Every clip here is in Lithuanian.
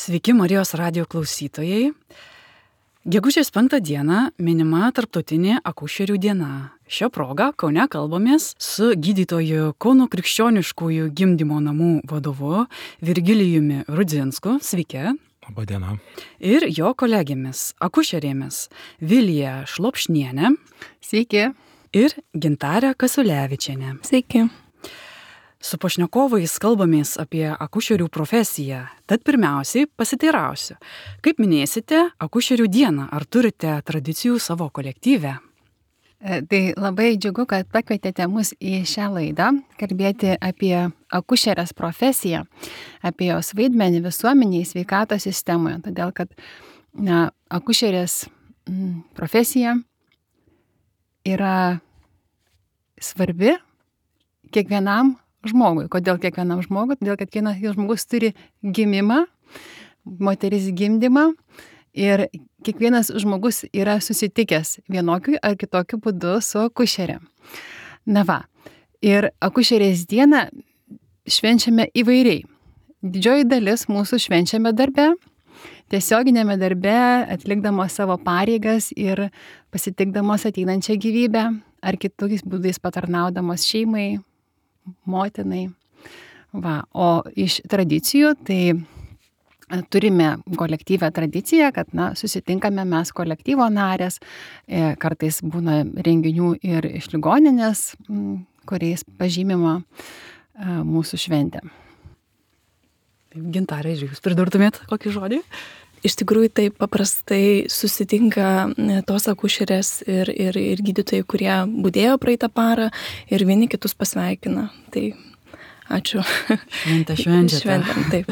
Sveiki Marijos radijo klausytojai. Gegužės 5 dieną minima Tarptautinė akušerių diena. Šią progą Kaune kalbamės su gydytoju Kauno krikščioniškųjų gimdymo namų vadovu Virgilijumi Rudzinsku. Sveiki. Labą dieną. Ir jo kolegėmis, akušerėmis Vilija Šlopšnienė. Sveiki. Ir Gintarė Kasulevičienė. Sveiki. Su pašnekovais kalbamės apie akušerių profesiją. Tad pirmiausiai pasiteirausiu, kaip minėsite akušerių dieną, ar turite tradicijų savo kolektyve? Tai labai džiugu, kad pakvietėte mus į šią laidą kalbėti apie akušerės profesiją, apie jos vaidmenį visuomenėje, sveikatos sistemoje. Todėl, kad akušerės profesija yra svarbi kiekvienam žmogui. Kodėl kiekvienam žmogui? Todėl, kad kiekvienas žmogus turi gimimą, moteris gimdymą ir kiekvienas žmogus yra susitikęs vienokiu ar kitokiu būdu su akušerė. Na va, ir akušerės dieną švenčiame įvairiai. Didžioji dalis mūsų švenčiame darbe, tiesioginėme darbe, atlikdamos savo pareigas ir pasitikdamos ateinančią gyvybę ar kitais būdais patarnaudamos šeimai, motinai. Va, o iš tradicijų, tai turime kolektyvę tradiciją, kad susitinkame mes kolektyvo narės, kartais būna renginių ir iš ligoninės, kuriais pažymima mūsų šventė. Gintarė, jūs pridurtumėt kokį žodį? Iš tikrųjų, tai paprastai susitinka tos akušerės ir gydytojai, kurie budėjo praeitą parą ir vieni kitus pasveikina. Tai ačiū. Šventėm, taip.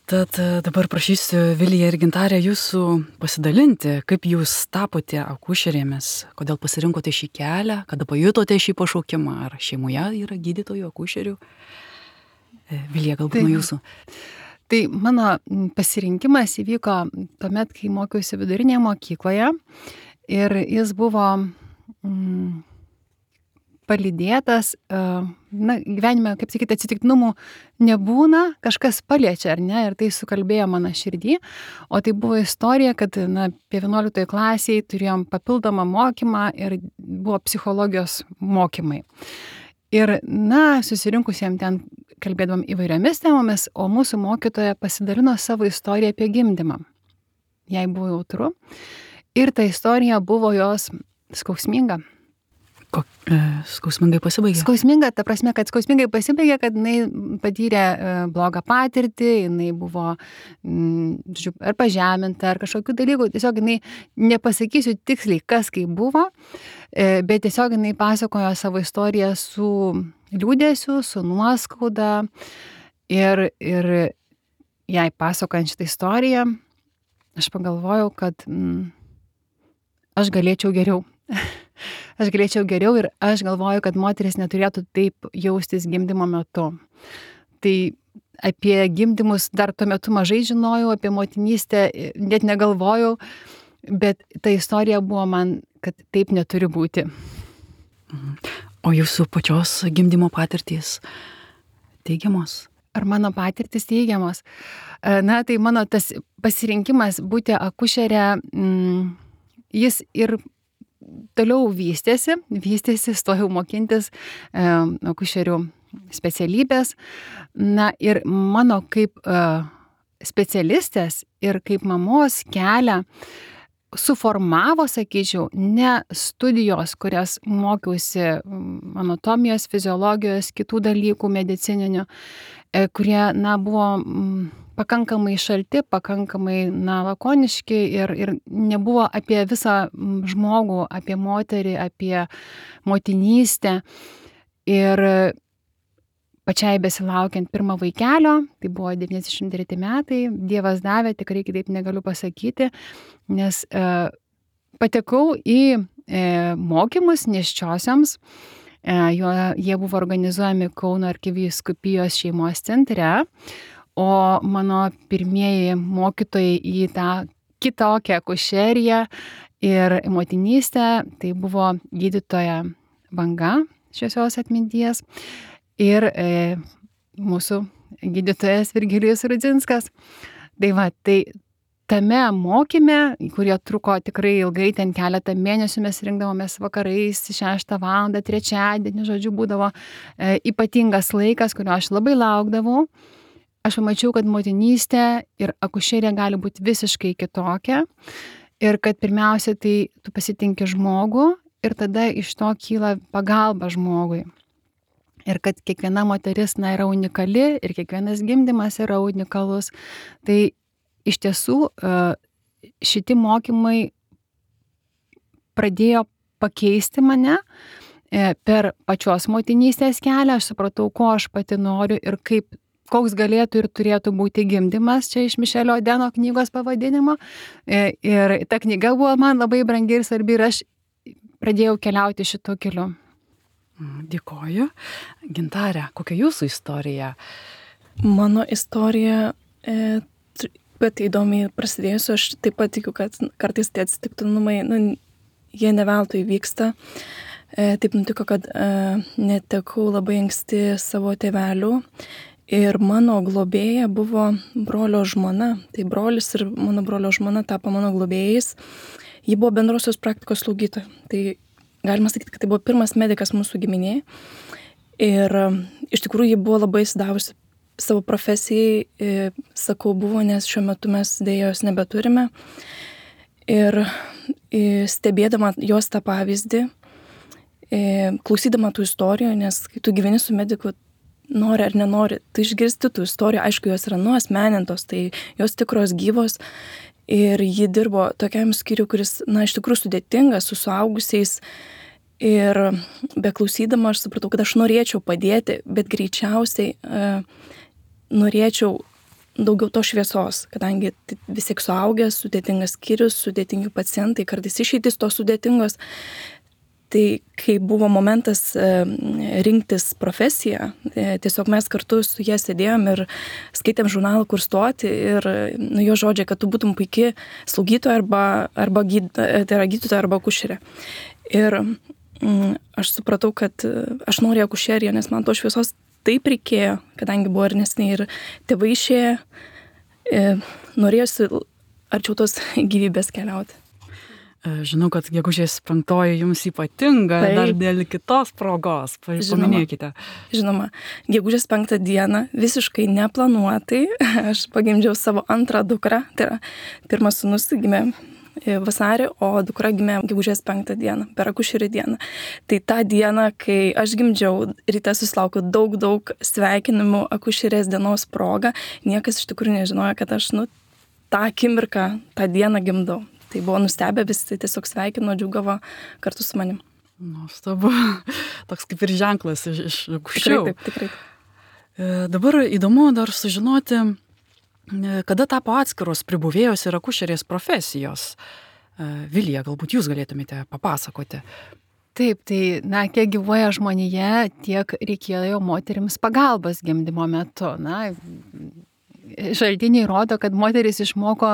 Tad dabar prašysiu Viliją ir Gintarę jūsų pasidalinti, kaip jūs tapote akušerėmis, kodėl pasirinkote šį kelią, kada pajutote šį pašaukimą, ar šeimoje yra gydytojų, akušerių. Vilija, galbūt nuo jūsų. Tai mano pasirinkimas įvyko tuomet, kai mokiausi vidurinėje mokykloje ir jis buvo palydėtas, gyvenime, kaip sakyti, atsitiktinumų nebūna, kažkas paliečia, ar ne, ir tai sukalbėjo mano širdį, o tai buvo istorija, kad apie 11 klasiai turėjom papildomą mokymą ir buvo psichologijos mokymai. Ir, susirinkusiem ten kalbėdavom įvairiomis temomis, o mūsų mokytoja pasidalino savo istoriją apie gimdymą. Jai buvo jautru ir ta istorija buvo jos skausminga. Skausmingai pasibaigė? Skausminga, ta prasme, kad skausmingai pasibaigė, kad jinai patyrė blogą patirtį, jinai buvo ar pažeminta, ar kažkokių dalykų. Tiesiog jinai, nepasakysiu tiksliai, kas kaip buvo, bet tiesiog jinai pasakojo savo istoriją su liūdėsiu, su nuoskauda ir jai pasakojant šitą istoriją, aš pagalvojau, kad aš galėčiau geriau. Aš galėčiau geriau ir aš galvoju, kad moteris neturėtų taip jaustis gimdymo metu. Tai apie gimdymus dar tuo metu mažai žinojau, apie motinystę net negalvojau, bet ta istorija buvo man, kad taip neturi būti. O jūsų pačios gimdymo patirtys teigiamos? Ar mano patirtys teigiamos? Tai mano tas pasirinkimas būti akušerė, jis ir toliau vystėsi, stojau mokintis akušerių specialybės. Ir mano kaip specialistės ir kaip mamos kelią suformavo, sakyčiau, ne studijos, kurias mokiausi anatomijos, fiziologijos, kitų dalykų medicininių, kurie, buvo pakankamai šalti, pakankamai, lakoniški ir nebuvo apie visą žmogų, apie moterį, apie motinystę. Ir pačiai besilaukiant pirmą vaikelio, tai buvo 93 metai, Dievas davė, tikrai kitaip negaliu pasakyti, nes patekau į mokymus nėščiosioms. Jie buvo organizuojami Kauno arkivyskupijos šeimos centre, o mano pirmieji mokytojai į tą kitokią akušeriją ir motinystę, tai buvo gydytoja Banga, šviesios atminties, ir mūsų gydytojas Virgilijus Rudzinskas. Tai va, tai tame mokyme, kurie truko tikrai ilgai, ten keletą mėnesių mes rinkdavomės vakarais 6 valandą, trečiadienį, žodžiu, būdavo ypatingas laikas, kurio aš labai laukdavau. Aš pamačiau, kad motinystė ir akušerija gali būti visiškai kitokia ir kad pirmiausia, tai tu pasitinki žmogų ir tada iš to kyla pagalba žmogui. Ir kad kiekviena moteris yra unikali ir kiekvienas gimdymas yra unikalus. Tai iš tiesų šitie mokymai pradėjo pakeisti mane per pačios motinystės kelią. Aš supratau, ko aš pati noriu ir koks galėtų ir turėtų būti gimdymas, čia iš Mišelio Odeno knygos pavadinimo. Ir ta knyga buvo man labai brangi ir svarbi ir aš pradėjau keliauti šituo keliu. Dėkoju. Gintarė, kokia jūsų istorija? Mano istorija bet įdomiai prasidėjusi, aš taip pat tikiu, kad kartais tie atsitiktinumai, jie ne veltui vyksta. Taip nutiko, kad netekau labai anksti savo tėvelių ir mano globėja buvo brolio žmona. Tai brolis ir mano brolio žmona tapo mano globėjais. Ji buvo bendrosios praktikos slaugytoja. Tai galima sakyti, kad tai buvo pirmas medikas mūsų giminėje. Ir iš tikrųjų ji buvo labai įsidavusi savo profesijai, sakau, buvo, nes šiuo metu mes dėja jos nebeturime. Ir stebėdama jos tą pavyzdį, klausydama tų istorijų, nes kai tu gyveni su mediku, nori ar nenori, tu išgirsti tų istorijų, aišku, jos yra nuasmenintos, tai jos tikros gyvos. Ir ji dirbo tokiam skyriui, kuris, iš tikrųjų sudėtingas, su suaugusiais. Ir beklausydama aš supratau, kad aš norėčiau padėti, bet greičiausiai norėčiau daugiau to šviesos, kadangi vis tiek suaugęs, sudėtingas skyrius, sudėtingi pacientai, kartais išeitis to sudėtingos. Tai kai buvo momentas rinktis profesiją, tiesiog mes kartu su jie sėdėjom ir skaitėm žurnalą, kur stoti ir jo žodžiai, kad tu būtum puikiai slaugytoja arba gydytoja arba akušerė. Ir aš supratau, kad aš noriu akušeriją, nes man to šviesos taip reikėjo, kadangi buvo ir nesiniai ir tėvai išėję, norėjusi arčiau tos gyvybės keliauti. Žinau, kad gegužės 5 jums ypatinga, dar dėl kitos progos, paminėkite. Žinoma, gegužės 5 dieną visiškai neplanuotai aš pagimdžiau savo antrą dukrą, tai yra pirmas sūnus gimė vasarį, o dukra gimė gegužės 5 dieną, per akušerių dieną. Tai tą dieną, kai aš gimdžiau, ryte susilaukiau daug sveikinimų akušerės dienos proga, niekas iš tikrųjų nežinojo, kad aš tą akimirką, tą dieną gimdau. Tai buvo nustebę, visi tiesiog sveikino, džiugavo kartu su manim. Nuostabu, toks kaip ir ženklas iš aukščiau. Tikrai. Dabar įdomu dar sužinoti, kada tapo atskiros pribuvėjos ir akušerės profesijos. Vilija, galbūt jūs galėtumėte papasakoti. Taip, tai, kiek gyvuoja žmonija, tiek reikėjo moterims pagalbos gimdymo metu. Šaltiniai rodo, kad moteris išmoko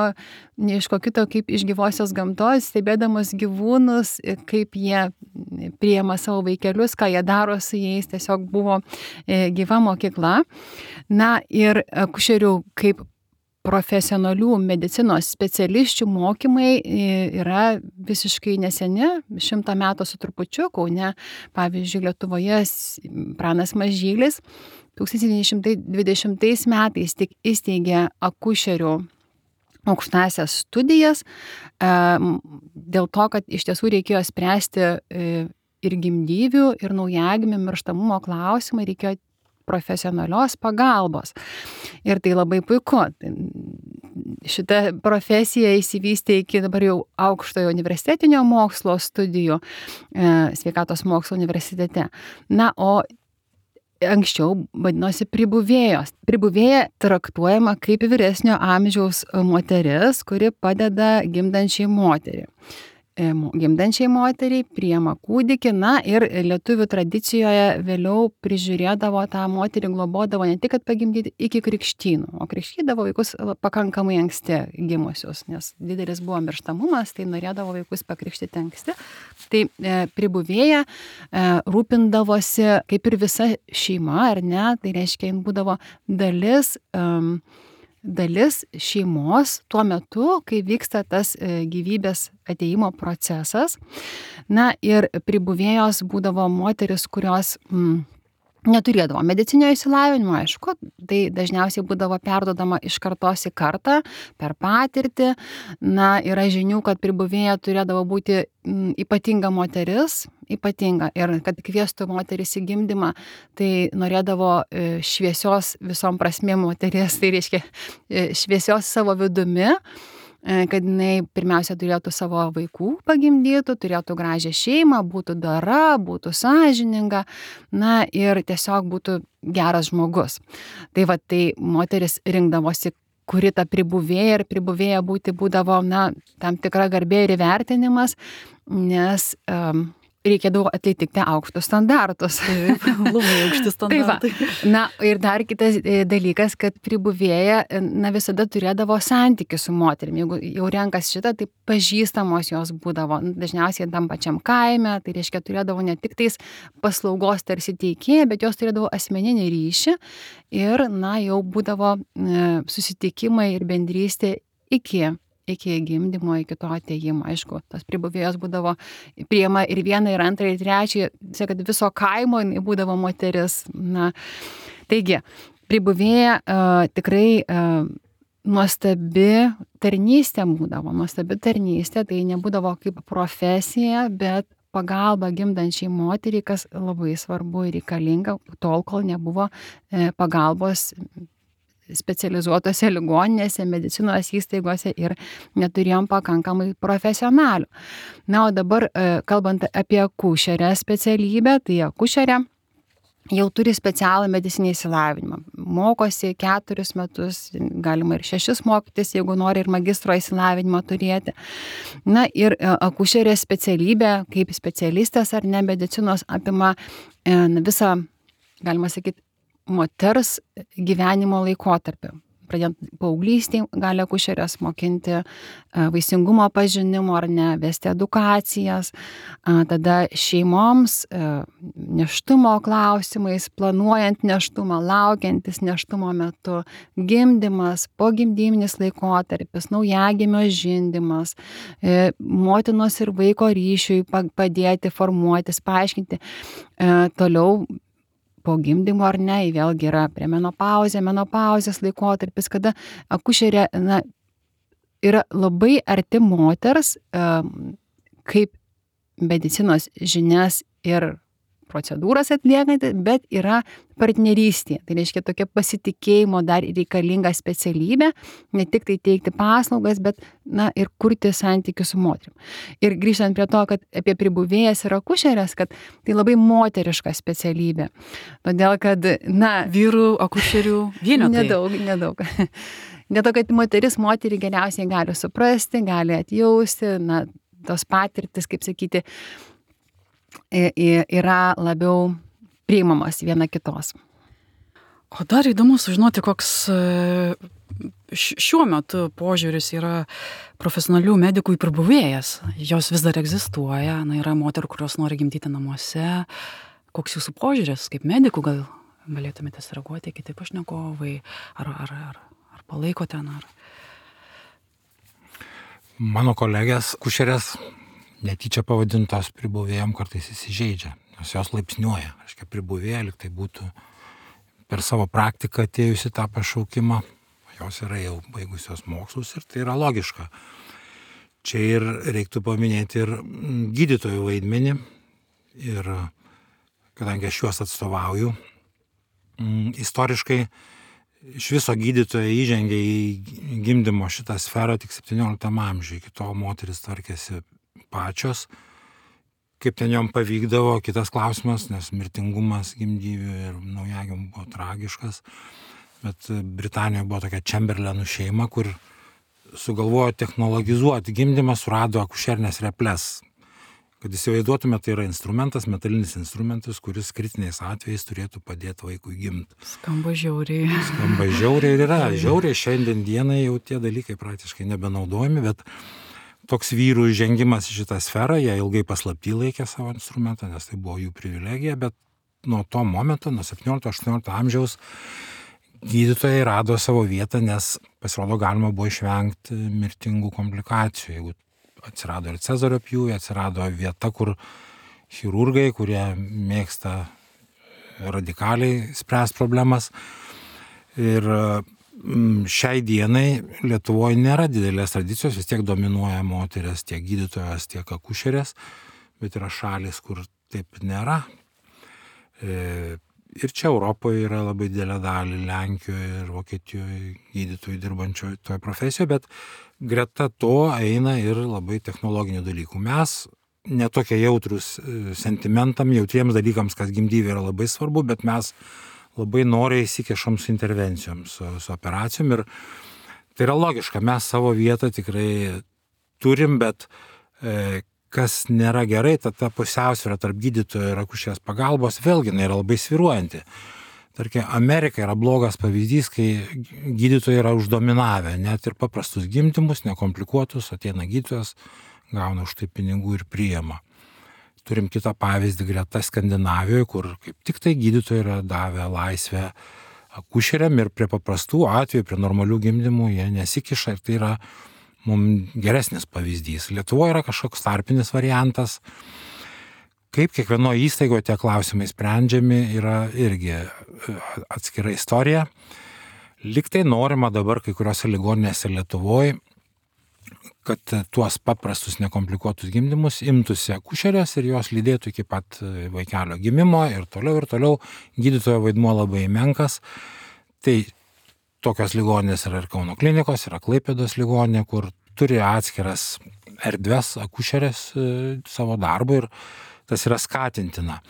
ne iš ko kito, kaip iš gyvosios gamtos, stebėdamos gyvūnus, kaip jie priima savo vaikelius, ką jie daro su jais, tiesiog buvo gyva mokykla. Ir akušerių kaip profesionalių medicinos specialisčių mokymai yra visiškai neseni, 100 metų su trupučiu, Kaune, pavyzdžiui, Lietuvoje Pranas Mažylis 1920 metais tik įsteigė akušerių aukštąsias studijas, dėl to, kad iš tiesų reikėjo spręsti ir gimdyvių, ir naujagimių mirštamumo klausimą, reikėjo profesionalios pagalbos. Ir tai labai puiku. Šita profesija įsivystė iki dabar jau aukštojo universitetinio mokslo studijų sveikatos mokslo universitete. O anksčiau vadinosi pribuvėjos. Pribuvėja traktuojama kaip vyresnio amžiaus moteris, kuri padeda gimdančiai moteriai. Gimdančiai moteriai priima kūdikį, ir lietuvių tradicijoje vėliau prižiūrėdavo tą moterį, globodavo ne tik, kad pagimdyti iki krikštynų, o krikštydavo vaikus pakankamai anksti gimusius, nes didelis buvo mirštamumas, tai norėdavo vaikus pakrikštyti anksti. Tai pribuvėja rūpindavosi kaip ir visa šeima, ar ne, tai reiškia, jin būdavo dalis dalis šeimos tuo metu, kai vyksta tas gyvybės ateimo procesas. Na ir pribuvėjos būdavo moteris, kurios neturėdavo medicinio išsilavinimo, aišku, tai dažniausiai būdavo perdodama iš kartos į kartą per patirtį. Na, yra žinių, kad pribuvėja turėdavo būti ypatinga moteris, ypatinga, ir kad kviestų moteris į gimdymą, tai norėdavo šviesios visom prasmėm moteris, tai reiškia šviesios savo vidumi, kad jinai pirmiausia turėtų savo vaikų pagimdytų, turėtų gražią šeimą, būtų dora, būtų sąžininga, na ir tiesiog būtų geras žmogus. Tai va, tai moteris rinkdavosi, kuri ta pribuvėja, ir pribuvėja būdavo, na, tam tikra garbė ir įvertinimas, nes reikėdavo atitikti aukštus standartus. Taip, labai aukšti standartai. Tai va. Na, ir dar kitas dalykas, kad pribuvėja, na, visada turėdavo santykių su moterim. Jeigu jau renkas šitą, tai pažįstamos jos būdavo, dažniausiai tam pačiam kaime, tai reiškia turėdavo ne tik tais paslaugos tarsi teikėją, bet jos turėdavo asmeninį ryšį ir, na, jau būdavo susitikimai ir bendrystė iki gimdymo, iki to atėjimo. Aišku, tos pribuvėjos būdavo priima ir vieną, ir antrą, ir trečią, kad viso kaimo būdavo moteris. Na, taigi, pribuvėja tikrai nuostabi tarnystė būdavo, nuostabi tarnystė, tai nebūdavo kaip profesija, bet pagalba gimdančiai moteriai, kas labai svarbu ir reikalinga, tol, kol nebuvo pagalbos specializuotose ligoninėse, medicinos įstaigose ir neturėjom pakankamai profesionalių. Na, o dabar, kalbant apie akušerę specialybę, tai akušerė jau turi specialų medicinį išsilavinimą. Mokosi 4 metus, galima ir 6 mokytis, jeigu nori ir magistro išsilavinimą turėti. Na ir akušerės specialybė, kaip specialistės ar ne medicinos, apima visą, galima sakyti, moters gyvenimo laikotarpį. Pradedant paauglystėj gali akušerės mokinti vaisingumo pažinimo ar ne, vesti edukacijas, tada šeimoms nėštumo klausimais, planuojant nėštumą, laukiantis nėštumo metu, gimdymas, pogimdyminis laikotarpis, naujagimio žindymas, motinos ir vaiko ryšiui padėti, formuotis, paaiškinti. Toliau po gimdymo ar ne, vėlgi yra menopauzės laikotarpis, kada akušerė, na, yra labai arti moters, kaip medicinos žinias ir procedūras atliekanti, bet yra partnerystė. Tai reiškia tokia pasitikėjimo dar reikalinga specialybė, ne tik tai teikti paslaugas, bet, na, ir kurti santykius su moterim. Ir grįžtant prie to, kad apie pribuvėjas ir akušerės, kad tai labai moteriška specialybė. Todėl, kad, na, vyrų akušerių vienetai. Nedaug. Dėl to, kad moteris moterį geriausiai gali suprasti, gali atjausti, na, tos patirtis, kaip sakyti, yra labiau priimamas viena kitos. O dar įdomu sužinoti, koks šiuo metu požiūris yra profesionalių medikų į pribuvėjas. Jos vis dar egzistuoja, na, yra moterų, kurios nori gimdyti namuose. Koks jūsų požiūris kaip medikų, gal galėtumėte sureaguoti, kiti pašnekovai, ar palaikote, ar... Mano kolegės kušerės netyčia pavadintos pribuvėjom kartais įsižeidžia, nes jos laipsniuoja. Aiškia, pribuvėja, lyg tai būtų per savo praktiką atėjusi tą pašaukimą, jos yra jau baigusios mokslus ir tai yra logiška. Čia ir reiktų paminėti ir gydytojų vaidmenį, ir kadangi aš juos atstovauju, istoriškai iš viso gydytoja įžengė į gimdymo šitą sferą tik 17 amžiuje, iki to moteris tvarkėsi pačios, kaip ten jom pavykdavo, kitas klausimas, nes mirtingumas gimdyvių ir naujagimių buvo tragiškas, bet Britanijoje buvo tokia Chamberlainų šeima, kur sugalvojo technologizuoti gimdymą, surado akušerinės reples. Kad įsivaizduotume, tai yra instrumentas, metalinis instrumentas, kuris kritiniais atvejais turėtų padėti vaikui gimti. Skamba žiauriai. Skamba žiauriai ir yra. Žiauriai šiandien dienai jau tie dalykai praktiškai nebenaudojami, bet toks vyrų žengimas į šitą sferą, jie ilgai paslapty laikė savo instrumentą, nes tai buvo jų privilegija, bet nuo to momento, nuo 17-18 amžiaus, gydytojai rado savo vietą, nes pasirodo galima buvo išvengti mirtingų komplikacijų. Jeigu atsirado ir Cezario pjūvė, atsirado vieta, kur chirurgai, kurie mėgsta radikaliai spręs problemas. Ir šiai dienai Lietuvoje nėra didelės tradicijos, vis tiek dominuoja moteris, tiek gydytojas, tiek akušerės, bet yra šalis, kur taip nėra. Ir čia Europoje yra labai didelė dalį, Lenkijoje ir Vokietijoje gydytojų dirbančių toje profesijoje, bet greta to eina ir labai technologinių dalykų. Mes netokie jautrus sentimentam, jautriems dalykams, kas gimdyvė yra labai svarbu, bet mes labai noriai įsikešam su intervencijom, su operacijom ir tai yra logiška, mes savo vietą tikrai turim, bet kas nėra gerai, ta pusiausvyrą tarp gydytojo ir akušerės pagalbos, vėlgi jinai yra labai svyruojanti. Tarkim, Amerika yra blogas pavyzdys, kai gydytojai yra uždominavę, net ir paprastus gimdymus, nekomplikuotus, ateina gydytojas, gauna už tai pinigų ir priima. Turim kitą pavyzdį greta Skandinavijoje, kur kaip tik tai gydytojai yra davę laisvę akušeriam ir prie paprastų atvejų, prie normalių gimdymų jie nesikiša ir tai yra mums geresnis pavyzdys. Lietuvoje yra kažkoks tarpinis variantas. Kaip kiekvienoje įstaigoje tie klausimai sprendžiami yra irgi atskira istorija. Liktai norima dabar kai kuriuose ligoninėse Lietuvoje, kad tuos paprastus nekomplikuotus gimdymus imtųsi akušerės ir jos lydėtų iki pat vaikelio gimimo ir toliau. Gydytojo vaidmuo labai menkas. Tai tokios ligoninės yra ir Kauno klinikos, yra Klaipėdos ligoninė, kur turi atskiras erdves akušerės savo darbo ir tas yra skatintina.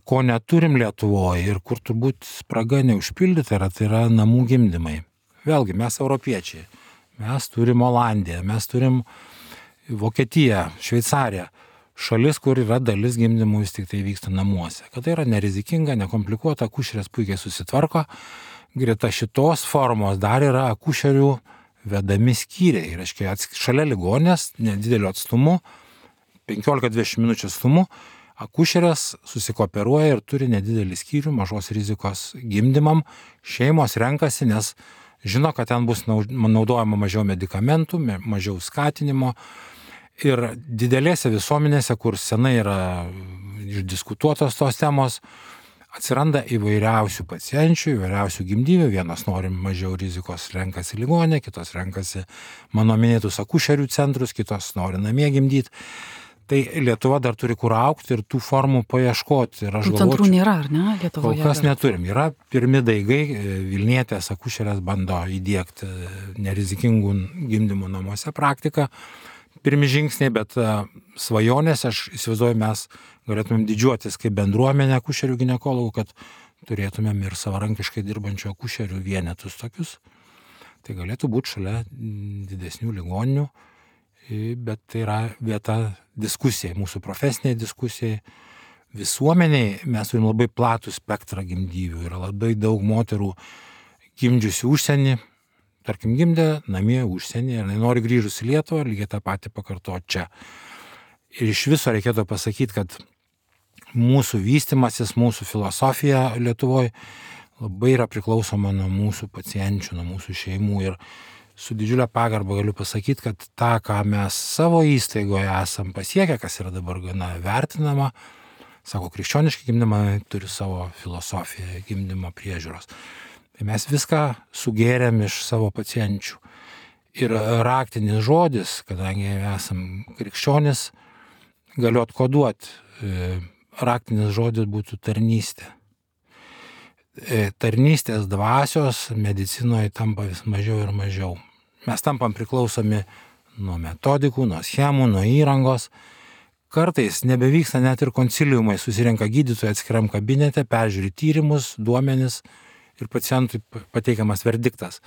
Ko neturim Lietuvoje ir kur turbūt spraga neužpildyta yra, tai yra namų gimdymai. Vėlgi, mes europiečiai. Mes turim Olandiją, mes turim Vokietiją, Šveicariją. Šalis, kur yra dalis gimdymų vis tik tai vyksta namuose. Kad tai yra nerizikinga, nekomplikuota, akušerės puikiai susitvarko. Greta šitos formos dar yra akušerių vedami skyriai. Reiškia, šalia ligonės, nedideliu atstumu, 15-20 minučių atstumu, akušerės susikooperuoja ir turi nedidelį skyrių mažos rizikos gimdymam. Šeimos renkasi, nes žino, kad ten bus naudojama mažiau medikamentų, mažiau skatinimo. Ir didelėse visuomenėse, kur senai yra išdiskutuotos tos temos, atsiranda įvairiausių pacienčių, įvairiausių gimdyvių. Vienos nori mažiau rizikos, renkasi ligoninę, kitos renkasi mano minėtus akušerių centrus, kitos nori namie gimdyti. Tai Lietuva dar turi kur augti ir tų formų paieškoti. Ir aš galvočiau, centrų nėra, ar ne, Lietuvoje? Kol kas neturim. Yra pirmi daigai, Vilnietės akušerės bando įdiegti nerizikingų gimdymų namuose praktiką. Pirmi žingsniai, bet svajonės, aš įsivaizduoju, mes galėtumėm didžiuotis kaip bendruomenė akušerių ginekologų, kad turėtumėm ir savarankiškai dirbančių akušerių vienetus tokius. Tai galėtų būti šalia didesnių ligoninių, bet tai yra vieta diskusijai, mūsų profesiniai diskusijai. Visuomeniai mes turim labai platų spektrą gimdyvių, yra labai daug moterų gimdžiusių užsienį, tarkim gimdė namie užsienį ir nori grįžus į Lietuvą, lygiai tą patį pakartoti čia. Ir iš viso reikėtų pasakyti, kad mūsų vystimasis, mūsų filosofija Lietuvoje labai yra priklausoma nuo mūsų pacienčių, nuo mūsų šeimų ir su didžiulė pagarba galiu pasakyti, kad tą, ką mes savo įstaigoje esam pasiekę, kas yra dabar gana vertinama, sako, krikščioniški gimdymai turi savo filosofiją gimdymo priežiūros. Tai mes viską sugėrėm iš savo pacienčių. Ir raktinis žodis, kadangi esam krikščionis, galiu atkoduoti. Raktinis žodis būtų tarnystė. Tarnystės dvasios medicinoje tampa vis mažiau ir mažiau. Mes tampam priklausomi nuo metodikų, nuo schemų, nuo įrangos. Kartais nebevyksta net ir konsiliumai, susirenka gydytojai atskiram kabinete, peržiūri tyrimus, duomenis ir pacientui pateikiamas verdiktas.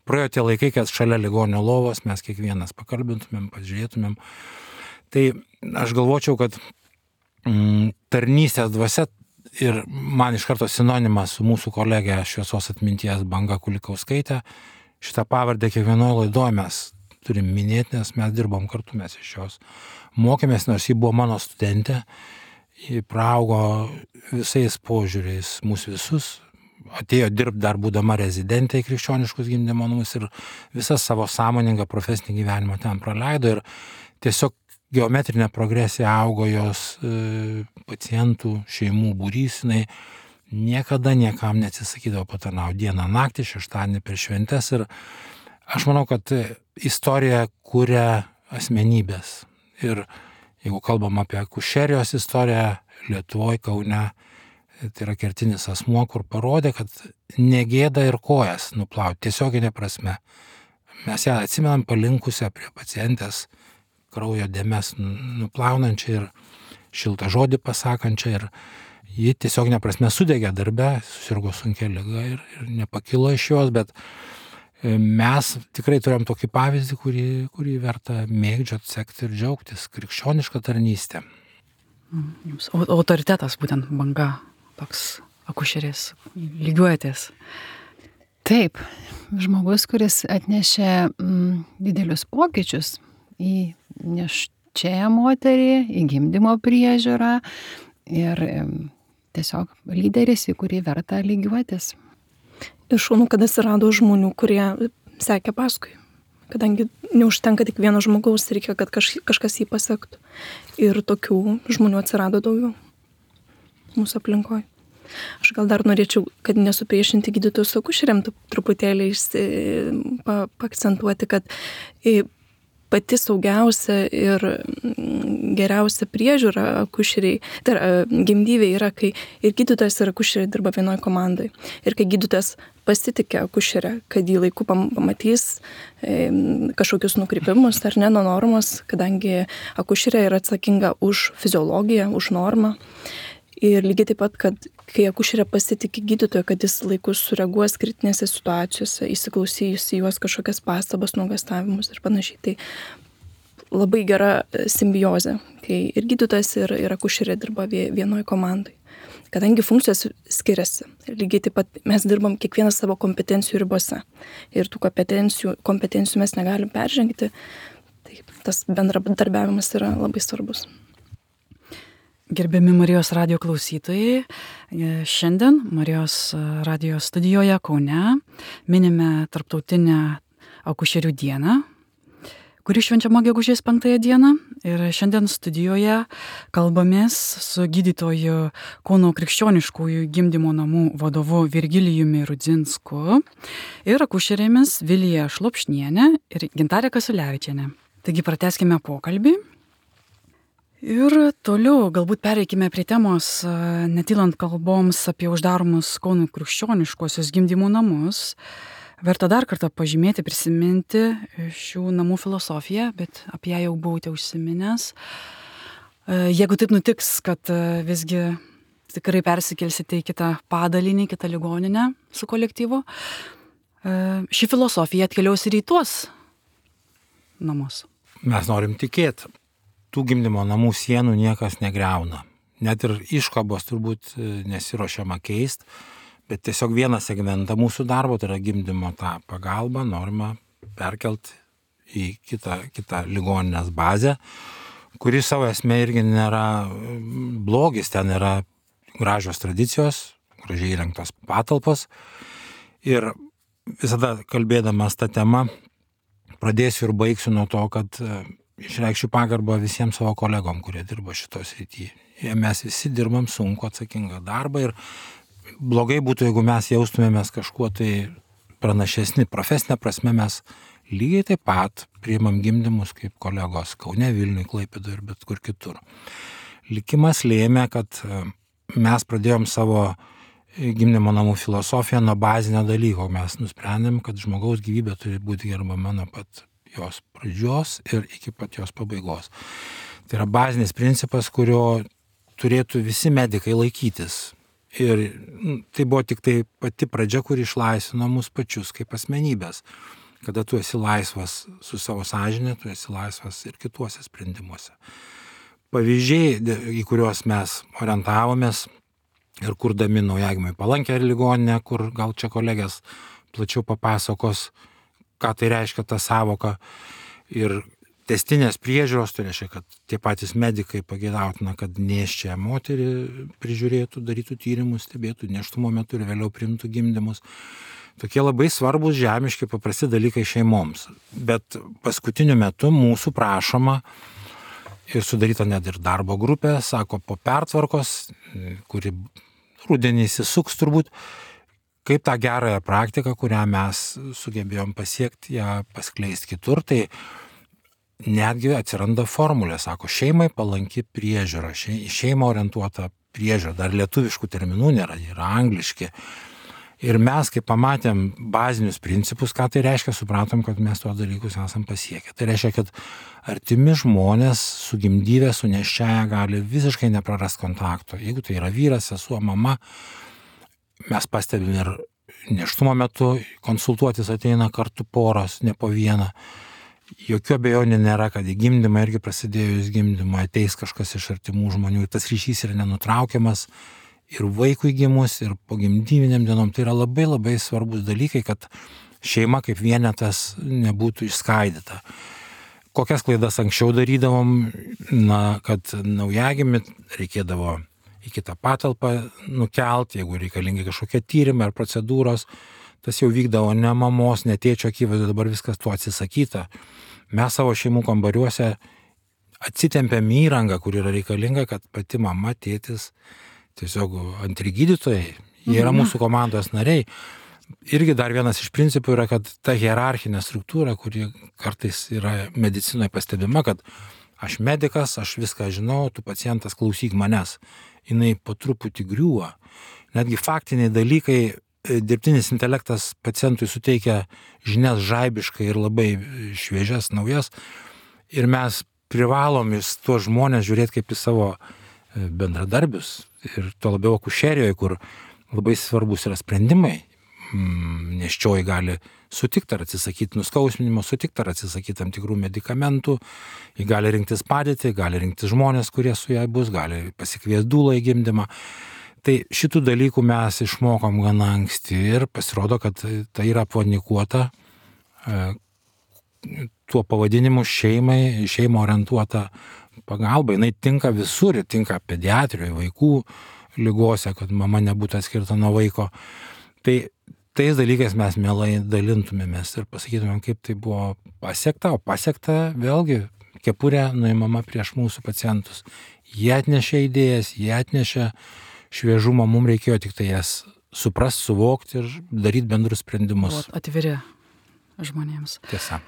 Praėjo tie laikai, kad šalia ligonio lovos mes kiekvienas pakalbintumėm, pažiūrėtumėm. Tai aš galvočiau, kad tarnystės dvasia ir man iš karto sinonimas su mūsų kolegė šviesos atminties Banga Kulikauskaitė. Šitą pavardę kiekvienoje laidoje mes turim minėti, nes mes dirbom kartu, mes iš jos mokėmės, nors ji buvo mano studentė, ji praaugo visais požiūriais, mūsų visus, atėjo dirbti dar būdama rezidentė į krikščioniškus gimdymo namus ir visą savo sąmoningą profesinį gyvenimą ten praleido ir tiesiog geometrinė progresija augo jos pacientų, šeimų būrys, jinai niekada niekam neatsisakydavo patarnauti dieną, naktį, šeštadienį per šventes ir aš manau, kad istorija kuria asmenybės ir jeigu kalbam apie akušerijos istoriją Lietuvoje, Kaune, tai yra kertinis asmuo, kur parodė, kad negėda ir kojas nuplauti, tiesioginė prasme. Mes ją atsimenam palinkusią prie pacientės, kraujo dėmes nuplaunančią ir šiltą žodį pasakančią ir ji tiesioginė prasme sudegė darbe, susirgo sunkia liga ir nepakilo iš jos, bet mes tikrai turėjom tokį pavyzdį, kurį verta mėgdžioti, sekti ir džiaugtis, krikščionišką tarnystę. Jums autoritetas būtent banga, toks akušerės, lygiuojatės. Taip, žmogus, kuris atnešė didelius pokyčius į nėščiąją moterį, į gimdymo priežiūrą ir tiesiog lyderis, į kurį verta lygiuotis. Ir šaunu, kad atsirado žmonių, kurie sekė paskui. Kadangi neužtenka tik vieno žmogaus, reikia, kad kažkas jį pasektų. Ir tokių žmonių atsirado daugiau mūsų aplinkoje. Aš gal dar norėčiau, kad nesupriešinti gydytojus su akušerėm, truputėlį paakcentuoti, kad pati saugiausia ir geriausia priežiūra akušeriai, tai gimdyviai yra, kai ir gydytojas ir akušeriai dirba vienoje komandai. Ir kai gydytojas pasitikė akušerę, kad jį laiku pamatys kažkokius nukrypimus ar ne nuo normos, kadangi akušerė yra atsakinga už fiziologiją, už normą. Ir lygiai taip pat, kad kai akušerė pasitikė gydytoją, kad jis laikus sureaguos kritinėse situacijose, įsiklausys į juos kažkokias pastabas, nuogąstavimus ir panašiai. Tai labai gera simbiozė, kai ir gydytojas, ir akušerė dirba vienoje komandai. Kadangi funkcijos skiriasi, lygiai taip pat mes dirbam kiekvienas savo kompetencijų ribose. Ir tų kompetencijų mes negalim peržengti. Tai tas bendradarbiavimas yra labai svarbus. Gerbiami Marijos radijo klausytojai, šiandien Marijos radijo studijoje Kaune minime Tarptautinę akušerių dieną, kuri švenčiama gegužės 5 dieną. Ir šiandien studijoje kalbamės su gydytoju Kauno krikščioniškųjų gimdymo namų vadovu Virgilijumi Rudzinsku ir akušerėmis Vilija Šlopšnienė ir Gintarė Kasiulevičienė. Taigi pratęskime pokalbį. Ir toliau galbūt pereikime prie temos, netylant kalboms apie uždaromus Kauno krikščioniškuosius gimdymo namus. Verta dar kartą pažymėti, prisiminti šių namų filosofiją, bet apie ją jau buvote užsiminęs. Jeigu taip nutiks, kad visgi tikrai persikelsite į kitą padalinį, kitą ligoninę su kolektyvu, ši filosofija atkeliaus ir į tuos namus. Mes norim tikėti. Tų gimdymo namų sienų niekas negriauna. Net ir iškabos turbūt nesiruošiama keisti, bet tiesiog vieną segmentą mūsų darbo, tai yra gimdymo tą pagalbą, norima perkelti į kitą ligoninės bazę, kuri savo esmė irgi nėra blogis, ten yra gražios tradicijos, gražiai įrengtos patalpos. Ir visada kalbėdamas tą temą, pradėsiu ir baigsiu nuo to, kad išreikščiau pagarbą visiems savo kolegom, kurie dirba šitos srityje. Mes visi dirbam sunku atsakingą darbą ir blogai būtų, jeigu mes jaustumėmės kažkuo tai pranašesni. Profesinė prasme mes lygiai taip pat priimam gimdymus kaip kolegos Kaune, Vilniuje, Klaipėdoje ir bet kur kitur. Likimas lėmė, kad mes pradėjom savo gimdymo namų filosofiją nuo bazinio dalyko. Mes nusprendėm, kad žmogaus gyvybė turi būti gerbama nuo pat jos pradžios ir iki pat jos pabaigos. Tai yra bazinis principas, kurio turėtų visi medikai laikytis. Ir tai buvo tik tai pati pradžia, kuri išlaisvino mus pačius kaip asmenybės. Kada tu esi laisvas su savo sąžinė, tu esi laisvas ir kituose sprendimuose. Pavyzdžiai, į kuriuos mes orientavomės ir kurdami naujagimiui palankę ligoninę, kur gal čia kolegės plačiau papasakos, ką tai reiškia ta savoka. Ir testinės priežiūros, tai reiškia, kad tie patys medikai pageidautina, kad nėščią moterį prižiūrėtų, darytų tyrimus, stebėtų nėštumo metu ir vėliau priimtų gimdymus. Tokie labai svarbus žemiški paprasti dalykai šeimoms. Bet paskutiniu metu mūsų prašoma ir sudaryta net ir darbo grupė, sako, po pertvarkos, kuri rudenį įsisuks turbūt, kaip tą gerąją praktiką, kurią mes sugebėjom pasiekti, ją paskleisti kitur, tai netgi atsiranda formulė, sako, šeimai palanki priežiūra, šeimą orientuota priežiūra, dar lietuviškų terminų nėra, yra angliški. Ir mes, kai pamatėm bazinius principus, ką tai reiškia, supratom, kad mes tuos dalykus esam pasiekę. Tai reiškia, kad artimi žmonės su gimdyve, su nėščiaja gali visiškai neprarast kontakto. Jeigu tai yra vyras, sesuo, mama, mes pastebim ir nėštumo metu konsultuotis ateina kartu poros, ne po vieną. Jokių abejonių nėra, kad į gimdymą irgi prasidėjus gimdymą ateis kažkas iš artimų žmonių ir tas ryšys yra nenutraukiamas ir vaikui gimus, ir po gimdyviniam dienom. Tai yra labai labai svarbus dalykai, kad šeima kaip vienetas nebūtų išskaidyta. Kokias klaidas anksčiau darydavom, kad naujagimį reikėdavo į kitą patalpą nukelti, jeigu reikalingi kažkokie tyrimai ar procedūros, tas jau vykdavo ne mamos, ne tėčio akivaizdu, dabar viskas tuo atsisakyta. Mes savo šeimų kambariuose atsitempėm įrangą, kur yra reikalinga, kad pati mama, tėtis, tiesiog antri gydytojai, jie yra mūsų komandos nariai. Irgi dar vienas iš principų yra, kad ta hierarchinė struktūra, kuri kartais yra medicinoje pastebima, kad aš medikas, aš viską žinau, tu pacientas klausyk manęs. Jinai po truputį griūva. Netgi faktiniai dalykai, dirbtinis intelektas pacientui suteikia žinias žaibiškai ir labai šviežias, naujas. Ir mes privalom į tuos žmonės žiūrėti kaip į savo bendradarbius. Ir to labiau akušerijoje, kur labai svarbus yra sprendimai. Nėščioji gali sutikti ar atsisakyti nuskausminimo, sutikti ar atsisakyti tam tikrų medikamentų, ji gali rinktis padėtį, gali rinktis žmonės, kurie su jai bus, gali pasikviesti dūlą į gimdymą. Tai šitų dalykų mes išmokom gana anksti ir pasirodo, kad tai yra apvainikuota tuo pavadinimu šeimą orientuota pagalba. Jinai tinka visur, tinka pediatrijoje, vaikų ligose, kad mama nebūtų atskirta nuo vaiko. Tai tais dalykais mes mielai dalintumėmės ir pasakytumėm, kaip tai buvo pasiekta, o pasiekta vėlgi kepurė nuimama prieš mūsų pacientus. Jie atnešė idėjas, jie atnešė šviežumą, mums reikėjo tik tai jas suprast, suvokti ir daryti bendrus sprendimus. Atviri žmonėms. Tiesa.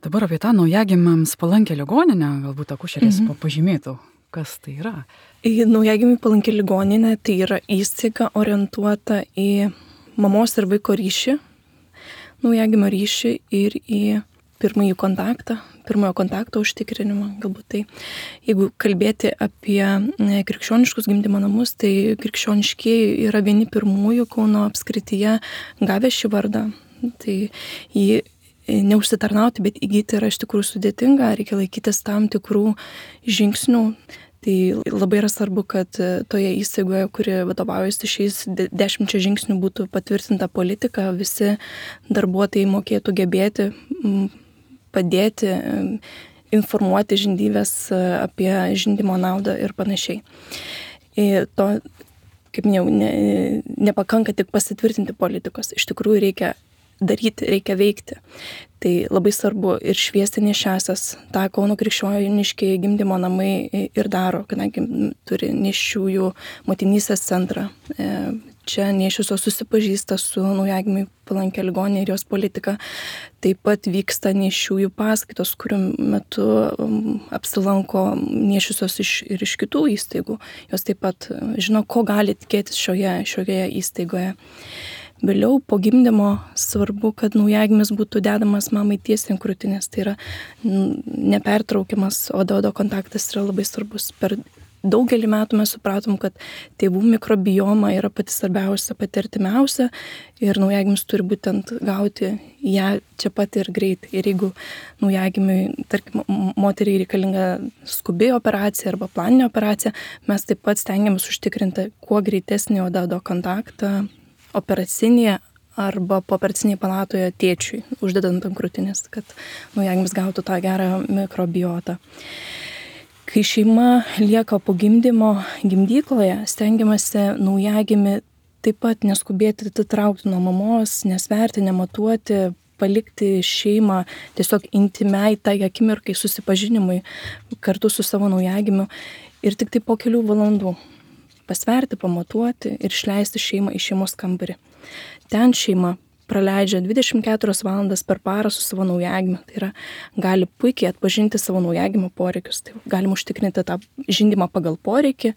Dabar apie tą naujagimiams palankę ligoninę, galbūt akušerės pažymėtų, kas tai yra. Naujagimiui palanki ligoninė tai yra įstaiga orientuota į mamos ir vaiko ryšį, naujagimio ryšį ir į pirmojo kontakto užtikrinimą. Galbūt tai, jeigu kalbėti apie krikščioniškus gimdymo namus, tai krikščioniškieji yra vieni pirmųjų Kauno apskrityje gavę šį vardą. Tai jį neužsitarnauti, bet įgyti yra iš tikrųjų sudėtinga, reikia laikytis tam tikrų žingsnių. Tai labai yra svarbu, kad toje įstaigoje, kuri vadovaujasi šiais 10 žingsnių, būtų patvirtinta politika, visi darbuotojai mokėtų gebėti padėti, informuoti žindyves apie žindymo naudą ir panašiai. To, kaip minėjau, nepakanka tik pasitvirtinti politikos, iš tikrųjų reikia daryti, reikia veikti. Tai labai svarbu ir šviesti nėščiąsias. Ta Kauno krikščioniškieji gimdymo namai ir daro, kadangi turi nėščiųjų motinystės centrą. Čia nėščiosios susipažįsta su naujagimiui palankia ligonine ir jos politika. Taip pat vyksta nėščiųjų paskaitos, kurių metu apsilanko nėščiosios ir iš kitų įstaigų. Jos taip pat žino, ko gali tikėtis šioje įstaigoje. Vėliau po gimdymo svarbu, kad naujagimis būtų dedamas mamai tiesiai ant krūtinės. Tai yra nepertraukiamas oda-oda kontaktas yra labai svarbus. Per daugelį metų mes supratom, kad tėvų mikrobioma yra pati svarbiausia, pati artimiausia ir naujagimis turi būtent gauti ją čia pat ir greit. Ir jeigu naujagimiui, tarkim, moteriai reikalinga skubi operacija arba planinė operacija, mes taip pat stengiamės užtikrinti kuo greitesnį oda-oda kontaktą operacinėje arba pooperacinėje palatoje tėčiui, uždedant ant krūtinės, kad naujagimis gautų tą gerą mikrobiotą. Kai šeima lieka po gimdymo gimdykloje, stengiamasi naujagimį taip pat neskubėti atitraukti nuo mamos, nesverti, nematuoti, palikti šeimą tiesiog intimiai tai akimirkai susipažinimui kartu su savo naujagimiu ir tik tai po kelių valandų pasverti, pamatuoti ir išleisti šeimą į šeimos kambarį. Ten šeima praleidžia 24 valandas per parą su savo naujagimiu. Tai yra, gali puikiai atpažinti savo naujagimio poreikius. Tai galim užtikrinti tą žindymą pagal poreikį,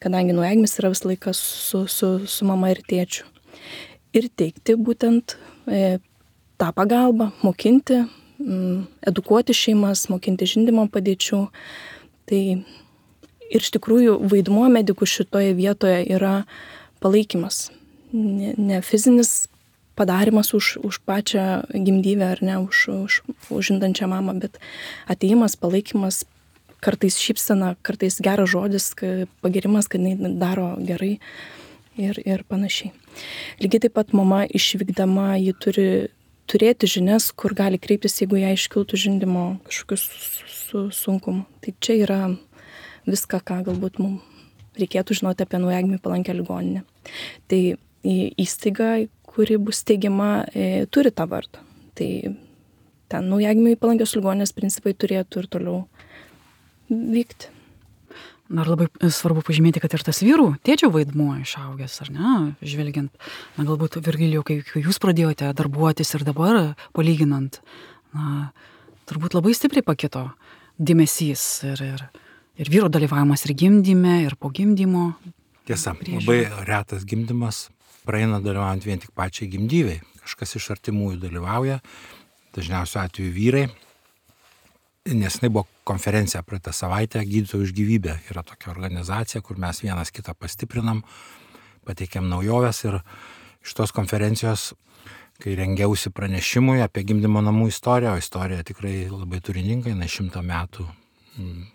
kadangi naujagimis yra visą laiką su mama ir tėčiu. Ir teikti būtent tą pagalbą, mokinti, edukuoti šeimas, mokinti žindymo padėčių. Tai ir iš tikrųjų vaidmuo medikų šitoje vietoje yra palaikymas. Ne fizinis padarimas už pačią gimdyvę ar ne, už žindančią mamą, bet atėjimas, palaikymas, kartais šypsena, kartais geras žodis, pagirimas, kad jinai daro gerai ir panašiai. Lygiai taip pat mama išvykdama, ji turi turėti žinias, kur gali kreiptis, jeigu ją iškiltų žindymo kažkokius sunkumų. Tai čia yra viską, ką galbūt mums reikėtų žinoti apie naujagimį palankę ligoninę. Tai įstaiga, kuri bus steigiama, turi tą vardą. Tai ten naujagimiui palankios ligoninės principai turėtų ir toliau vykti. Dar labai svarbu pažymėti, kad ir tas vyrų tėčio vaidmuo išaugęs, ar ne, žvelgiant, galbūt Virgilijau, kai jūs pradėjote darbuotis ir dabar palyginant, turbūt labai stipriai pakito dėmesys ir vyro dalyvavimas ir gimdyme, ir po gimdymo. Tiesa, labai retas gimdymas praeina dalyvaujant vien tik pačiai gimdyvei. Kažkas iš artimųjų dalyvauja, dažniausiu atveju vyrai. Nes tai buvo konferencija praeitą savaitę, Gydytojų už gyvybę. Yra tokia organizacija, kur mes vienas kitą pastiprinam, pateikėm naujoves ir iš tos konferencijos, kai rengiausi pranešimui apie gimdymo namų istoriją, o istorija tikrai labai turininga, jinai 100 metų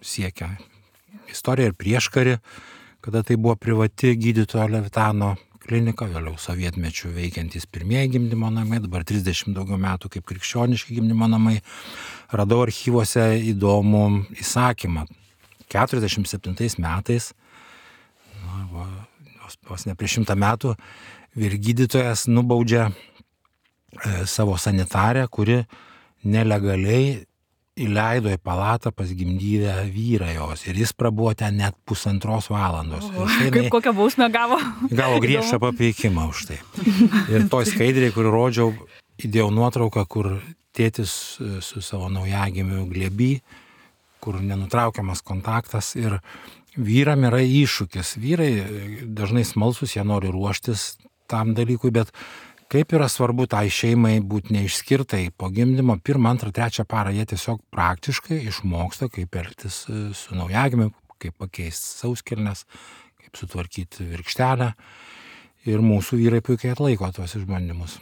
siekia istoriją ir prieškarį, kada tai buvo privati gydytojo Levitano klinika, vėliau sovietmečių veikiantys pirmieji gimdymo namai, dabar 30 daugiau metų kaip krikščioniški gimdymo namai. Radau archyvuose įdomų įsakymą. 47 metais, vos ne prieš 100 metų, vyrgydytojas nubaudžia savo sanitarę, kuri nelegaliai įleido į palatą pas gimdyvę vyrą jos ir jis prabuvo ten net 1,5 valandos. Kaip kokią bausmę gavo? Gavo griežtą papeikimą už tai. Ir toj skaidriai, kur rodžiau, įdėjau nuotrauką, kur tėtis su savo naujagimiu glėby, kur nenutraukiamas kontaktas ir vyram yra iššūkis. Vyrai dažnai smalsus, jie nori ruoštis tam dalykui, bet kaip yra svarbu tai šeimai būti neišskirtai po gimdymo, 1, 2, 3 parą jie tiesiog praktiškai išmoksta, kaip elgtis su naujagimiu, kaip pakeisti sauskelnes, kaip sutvarkyti virkštelę. Ir mūsų vyrai puikiai atlaiko tuos išbandymus.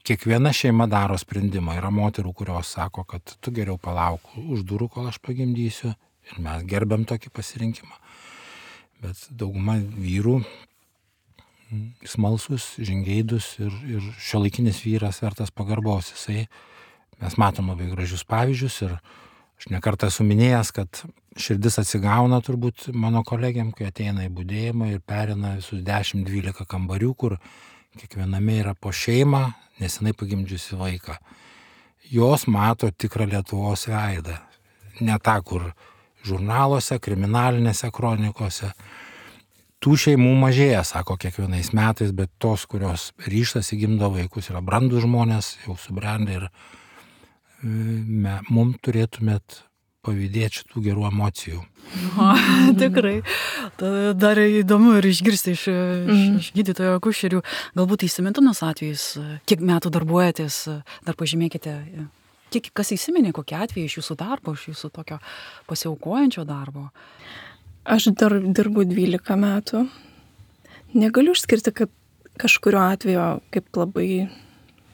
Kiekviena šeima daro sprendimą. Yra moterų, kurios sako, kad tu geriau palauk už durų, kol aš pagimdysiu. Ir mes gerbiam tokį pasirinkimą. Bet dauguma vyrų smalsus, žingeidus ir šiuolaikinis vyras vertas pagarbos. Mes matom labai gražius pavyzdžius ir aš nekartą esu minėjęs, kad širdis atsigauna turbūt mano kolegiam, kai ateina į budėjimą ir perina visus 10-12 kambarių, kur kiekviename yra po šeimą, nesenai pagimdžiusi vaiką. Jos mato tikrą Lietuvos veidą. Ne tą, kur žurnaluose, kriminalinėse kronikose. Tų šeimų mažėja, sako, kiekvienais metais, bet tos, kurios ryžtasi gimdo vaikus, yra brandūs žmonės, jau subrendę ir mums turėtumėt pavydėti šitų gerų emocijų. Tikrai. Dar įdomu ir išgirsti iš gydytojo akušerių. Galbūt įsimintinas atvejis, kiek metų darbuojatės, dar pažymėkite, kas įsiminė, kokie atvejai iš jūsų darbo, iš jūsų tokio pasiaukojančio darbo. Aš dar dirbu 12 metų. Negaliu išskirti, kad kažkurio atvejo kaip labai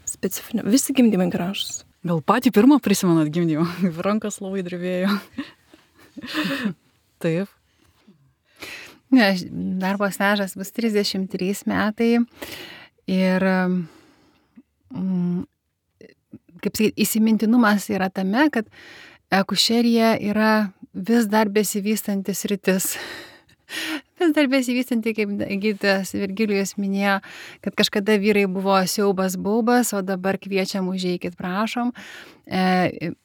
specifinio. Visi gimdymai gražus. Gal patį pirmą prisimenat gimdymą? Rankas labai drebėjo. Taip. Ne, darbo stažas bus 33 metai ir kaip sakyti, įsimintinumas yra tame, kad akušerija yra vis dar besivystantis rytis. Vis dar besivystanti, kaip gydytojas Virgilijus minėjo, kad kažkada vyrai buvo siaubas baubas, o dabar kviečiam užeikit, prašom.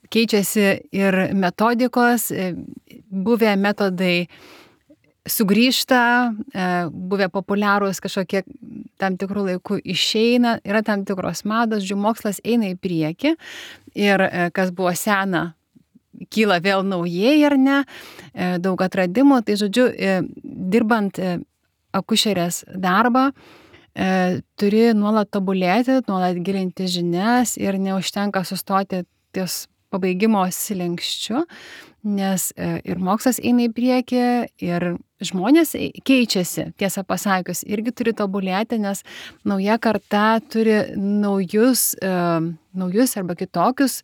Keičiasi ir metodikos, buvę metodai sugrįžta, buvę populiarūs kažkokie tam tikrų laikų išeina, yra tam tikros mados, mokslas eina į priekį ir kas buvo sena, kyla vėl naujai ar ne, daug atradimų, tai žodžiu, dirbant akušerės darbą, turi nuolat tobulėti, nuolat gilinti žinias ir neužtenka sustoti ties pabaigimo slenksčiu, nes ir mokslas eina į priekį, ir žmonės keičiasi, tiesą pasakius, irgi turi tobulėti, nes nauja karta turi naujus arba kitokius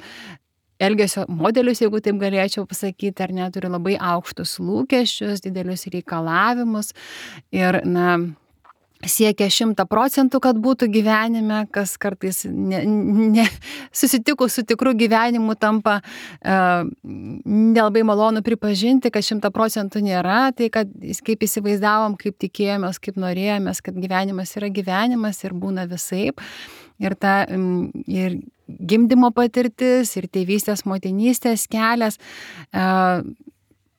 elgesio modelius, jeigu taip galėčiau pasakyti, ar ne, turi labai aukštus lūkesčius, didelius reikalavimus ir, siekia 100%, kad būtų gyvenime, kas kartais susitikus su tikru gyvenimu tampa nelabai malonu pripažinti, kad 100% nėra, tai kad kaip įsivaizdavom, kaip tikėjomės, kaip norėjomės, kad gyvenimas yra gyvenimas ir būna visaip. Ir ir gimdymo patirtis, ir tėvystės, motinystės kelias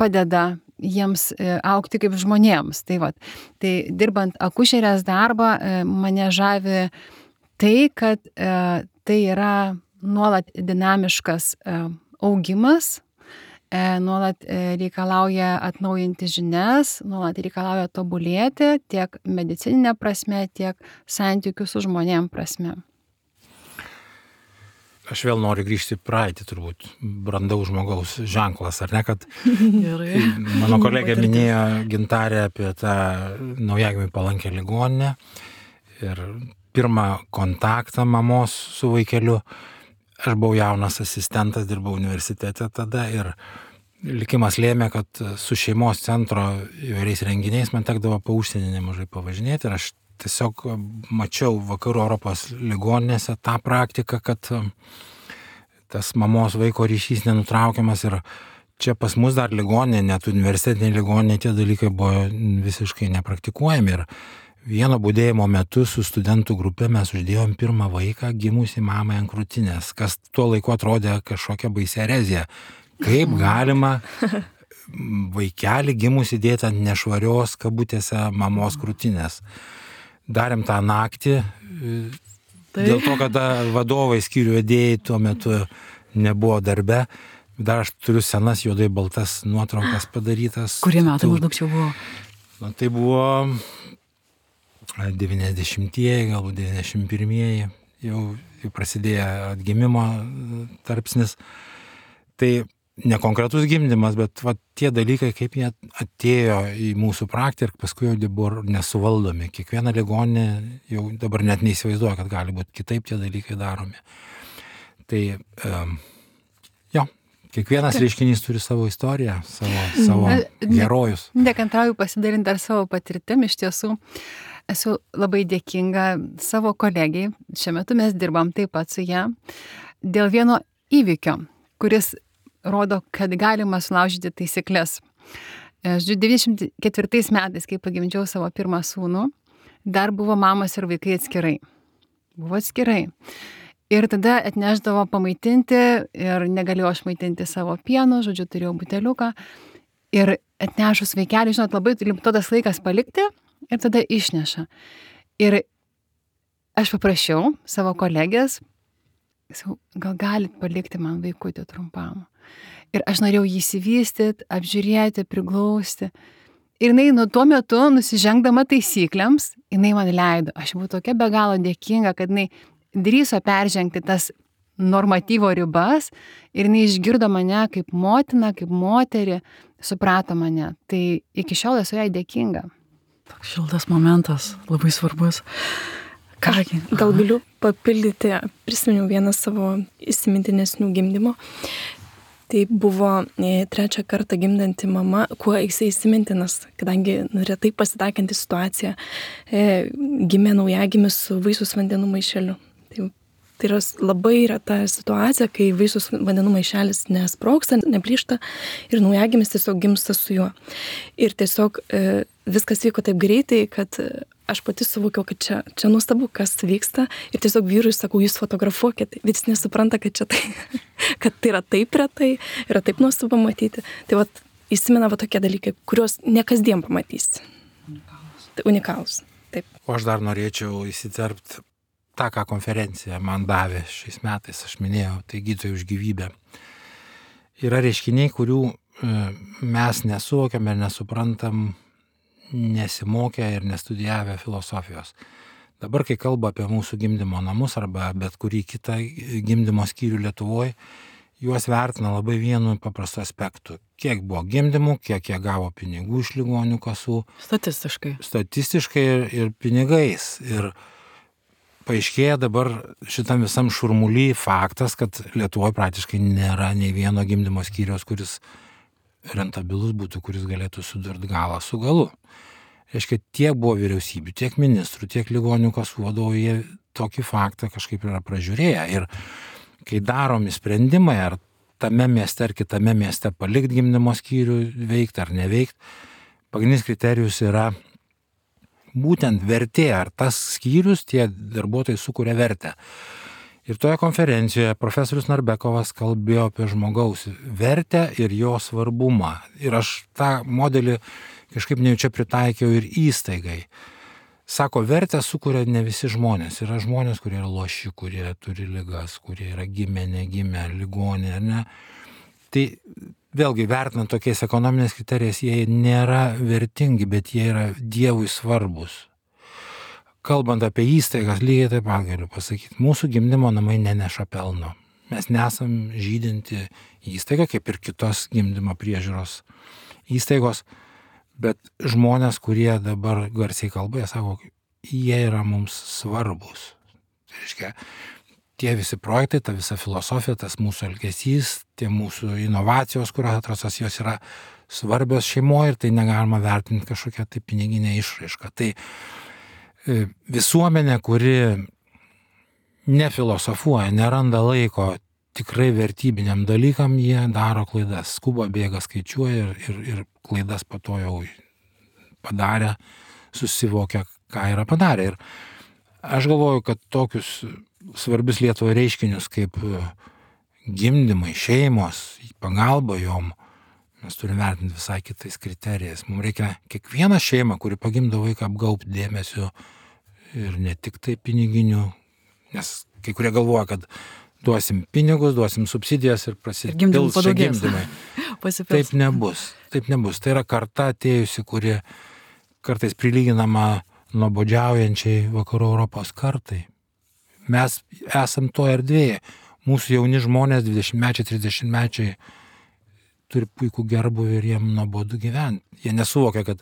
padeda jiems augti kaip žmonėms. Tai dirbant akušerės darbą mane žavi tai, kad tai yra nuolat dinamiškas augimas, nuolat reikalauja atnaujinti žinias, nuolat reikalauja tobulėti tiek medicininė prasme, tiek santykių su žmonėm prasme. Aš vėl noriu grįžti į praeitį, turbūt brandaus žmogaus ženklas, ar ne, kad mano kolegė minėjo Gintarė apie tą naujagimiui palankę ligoninę ir pirmą kontaktą mamos su vaikeliu. Aš buvau jaunas asistentas, dirbau universitete tada ir likimas lėmė, kad su šeimos centro įvairiais renginiais man tekdavo po užsienį nemažai pavažinėti ir aš tiesiog mačiau vakarų Europos ligoninėse tą praktiką, kad tas mamos vaiko ryšys nenutraukiamas ir čia pas mus dar ligoninė, net universitetinė ligoninė, tie dalykai buvo visiškai nepraktikuojami ir vieno budėjimo metu su studentų grupė mes uždėjom pirmą vaiką gimusi mamai ant krūtinės, kas tuo laiku atrodė kažkokia baisi erezija. Kaip galima vaikelį gimusi dėti ant nešvarios kabutėse mamos krūtinės. Darėm tą naktį, dėl to, kad vadovai skyrių vedėjai tuo metu nebuvo darbe. Dar aš turiu senas juodai baltas nuotraukas padarytas. Kurie metai maždaug čia buvo? Tai buvo 90-ieji, galbūt 91-ieji, jau prasidėjo atgimimo tarpsnis. Tai nekonkretus gimdymas, bet tie dalykai, kaip jie atėjo į mūsų praktiką ir paskui jau buvo nesuvaldomi. Kiekviena ligoninė jau dabar net neįsivaizduoja, kad gali būti kitaip tie dalykai daromi. Tai kiekvienas reiškinys turi savo istoriją, savo herojus. Nekantrauju pasidalinti dar savo patirtim, iš tiesų esu labai dėkinga savo kolegijai, šiuo metu mes dirbam taip pat su ją, dėl vieno įvykio, kuris rodo, kad galima sulaužyti taisyklės. 94 metais, kai pagimdžiau savo pirmą sūnų, dar buvo mamos ir vaikai atskirai. Buvo atskirai. Ir tada atneždavo pamaitinti ir negalėjau aš maitinti savo pienu, žodžiu, turėjau buteliuką. Ir atnešus vaikelį, žinot, labai limituotas laikas palikti ir tada išneša. Ir aš paprašiau savo kolegės, gal galit palikti man vaikutį trumpam. Ir aš norėjau jį įsivystyti, apžiūrėti, priglausti. Ir jinai tuo metu, nusižengdama taisyklėms, jinai man leido. Aš buvau tokia be galo dėkinga, kad jinai drįso peržengti tas normatyvo ribas ir jinai išgirdo mane kaip motina, kaip moterį, suprato mane. Tai iki šiol esu jai dėkinga. Toks šiltas momentas, labai svarbus. Kągi, gal galiu papildyti, prisiminiau vieną savo įsimintinesnių gimdymo. Tai buvo 3 kartą gimdanti mama, kuo jisai įsimintinas, kadangi retai pasitaikanti situacija, gimė naujagimis su vaisiaus vandenų maišeliu. Tai tai yra labai reta situacija, kai vaisiaus vandenų maišelis nesprogsta, neplyšta ir naujagimis tiesiog gimsta su juo. Ir tiesiog viskas vyko taip greitai, kad aš pati suvokiau, kad čia nuostabu, kas vyksta. Ir tiesiog vyrui sakau, jūs fotografuokit. Vis nesupranta, kad kad tai yra taip retai, yra taip nuostabu matyti. Tai vat įsimena tokie dalykai, kuriuos ne kasdien pamatysi. Unikalūs. Taip. O aš dar norėčiau įsiterpti tą, ką konferencija man davė šiais metais, aš minėjau, tai gydytojai už gyvybę. Yra reiškiniai, kurių mes nesuvokiam ir nesuprantam, nesimokę ir nestudijavę filosofijos. Dabar, kai kalba apie mūsų gimdymo namus arba bet kurį kitą gimdymo skyrių Lietuvoje, juos vertina labai vienu paprastu aspektu. Kiek buvo gimdymų, kiek jie gavo pinigų iš ligonių kasų. Statistiškai ir pinigais. Ir paaiškėja dabar šitam visam šurmuly faktas, kad Lietuvoje praktiškai nėra nei vieno gimdymo skyriaus, kuris rentabilus būtų, kuris galėtų sudurti galą su galu. Reiškia, tiek buvo vyriausybių, tiek ministrų, tiek ligonių kasų vadovų, jie tokį faktą kažkaip yra pražiūrėję. Ir kai daromi sprendimai, ar tame mieste ar kitame mieste palikti gimdymo skyrių veikti ar neveikti, pagrindinis kriterijus yra būtent vertė, ar tas skyrius, tie darbuotojai sukuria vertę. Ir toje konferencijoje profesorius Narbekovas kalbėjo apie žmogaus vertę ir jo svarbumą. Ir aš tą modelį kažkaip nejučia pritaikiau ir įstaigai. Sako, vertę sukuria ne visi žmonės. Yra žmonės, kurie yra loši, kurie turi ligas, kurie yra gimę, negimę, ligonė, ne. Tai vėlgi, vertinant tokiais ekonominės kriterijais, jie nėra vertingi, bet jie yra Dievui svarbus. Kalbant apie įstaigas, lygiai taip pat galiu pasakyti, mūsų gimdymo namai neneša pelno. Mes nesam žydinti įstaiga, kaip ir kitos gimdymo priežiūros įstaigos, bet žmonės, kurie dabar garsiai kalba, jie sako, jie yra mums svarbus. Tai reiškia, tie visi projektai, ta visa filosofija, tas mūsų elgesys, tie mūsų inovacijos, kurios atrastos, jos yra svarbios šeimoje ir tai negalima vertinti kažkokią tai piniginę išraišką. Tai visuomenė, kuri nefilosofuoja, neranda laiko tikrai vertybiniam dalykam, jie daro klaidas. Skuba, bėga, skaičiuoja ir klaidas po to jau padarė, susivokia, ką yra padarę. Ir aš galvoju, kad tokius svarbius Lietuvai reiškinius kaip gimdymai, šeimos, pagalba jom, mes turime vertinti visai kitais kriterijais. Mums reikia kiekvieną šeimą, kuri pagimdo vaiką, apgaubti dėmesiu ir ne tik tai piniginių, nes kai kurie galvoja, kad duosim pinigus, duosim subsidijas ir prasipils čia gimdymai. Taip nebus. Tai yra karta atėjusi, kuri kartais prilyginama nuobodžiaujančiai vakarų Europos kartai. Mes esam to erdvėje. Mūsų jauni žmonės, 20-mečiai, 30-mečiai, turi puikų gerbuvį ir jiem nuobodu gyventi. Jie nesuvokia, kad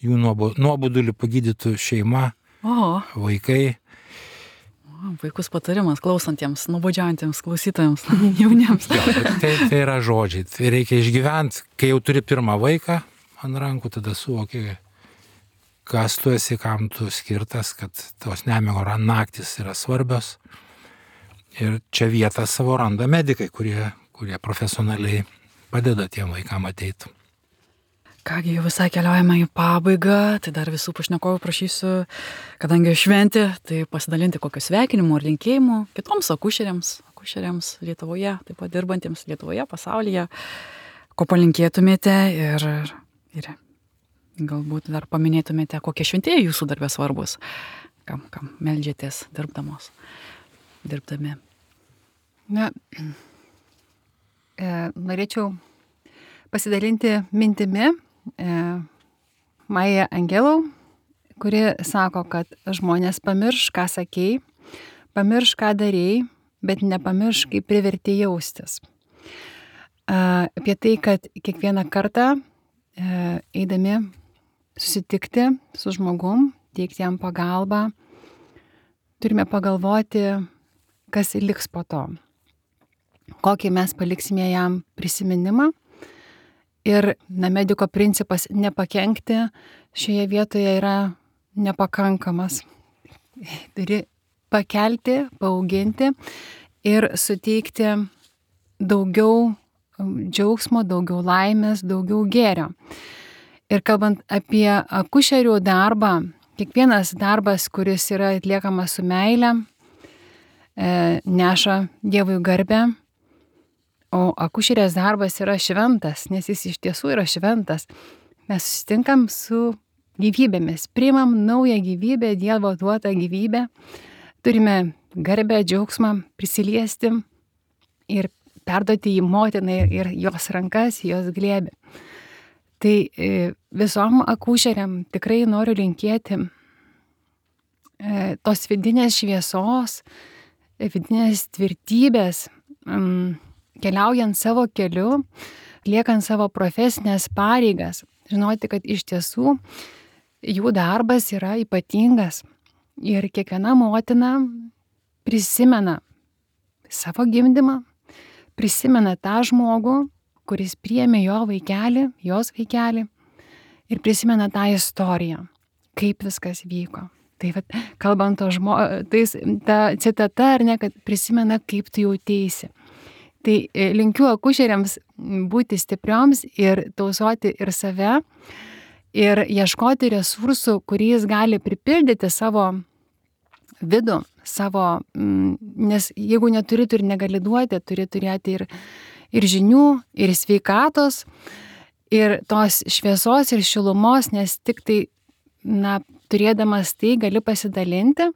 jų nuobodulį pagydytų šeima, vaikai. Puikus patarimas klausantiems, nuobodžiaujantiems klausytojams, jauniems. Tai yra žodžiai. Tai reikia išgyventi. Kai jau turi pirmą vaiką ant rankų, tada suvoki, kas tu esi, kam tu skirtas, kad tos nemiego naktis yra svarbios. Ir čia vietą savo randa medikai, kurie profesionaliai padeda tiem vaikam ateiti. Kągi, jau visai keliaujame į pabaigą, tai dar visų pašnekovų prašysiu, kadangi šventė, tai pasidalinti kokiu sveikinimu ir linkėjimu kitoms akušeriams Lietuvoje, taip pat dirbantiems Lietuvoje, pasaulyje, ko palinkėtumėte ir galbūt dar paminėtumėte, kokie šventieji jūsų darbė svarbus, kam meldžiatės dirbdami. Na, norėčiau pasidalinti mintimi Maja Angelau, kuri sako, kad žmonės pamirš, ką sakei, pamirš, ką darėjai, bet nepamirš, kaip privertė jaustis. Apie tai, kad kiekvieną kartą eidami susitikti su žmogum, teikti jam pagalbą, turime pagalvoti, kas liks po to. Kokį mes paliksime jam prisiminimą. Ir mediko principas nepakenkti šioje vietoje yra nepakankamas. Turi pakelti, paauginti ir suteikti daugiau džiaugsmo, daugiau laimės, daugiau gėrio. Ir kalbant apie akušerių darbą, kiekvienas darbas, kuris yra atliekamas su meile, neša Dievui garbę, o akušerės darbas yra šventas, nes jis iš tiesų yra šventas. Mes susitinkam su gyvybėmis, priimam naują gyvybę, Dievo duotą gyvybę, turime garbę, džiaugsmą prisiliesti ir perduoti jį motinai ir jos rankas, jos glėbį. Tai visom akušeriam tikrai noriu linkėti tos vidinės šviesos, vidinės tvirtybės, keliaujant savo keliu, liekant savo profesinės pareigas, žinoti, kad iš tiesų jų darbas yra ypatingas ir kiekviena motina prisimena savo gimdymą, prisimena tą žmogų, kuris priėmė jo vaikelį, jos vaikelį ir prisimena tą istoriją, kaip viskas vyko. Tai vat, kalbant ta citata, ar ne, kad prisimena, kaip tu jauteisi. Tai linkiu akušeriams būti stiprioms ir tausoti ir save, ir ieškoti resursų, kuriais gali pripildyti savo vidų, nes jeigu neturi, tu ir negali duoti, turi turėti ir žinių, ir sveikatos, ir tos šviesos ir šilumos, nes tik tai, turėdamas tai gali pasidalinti.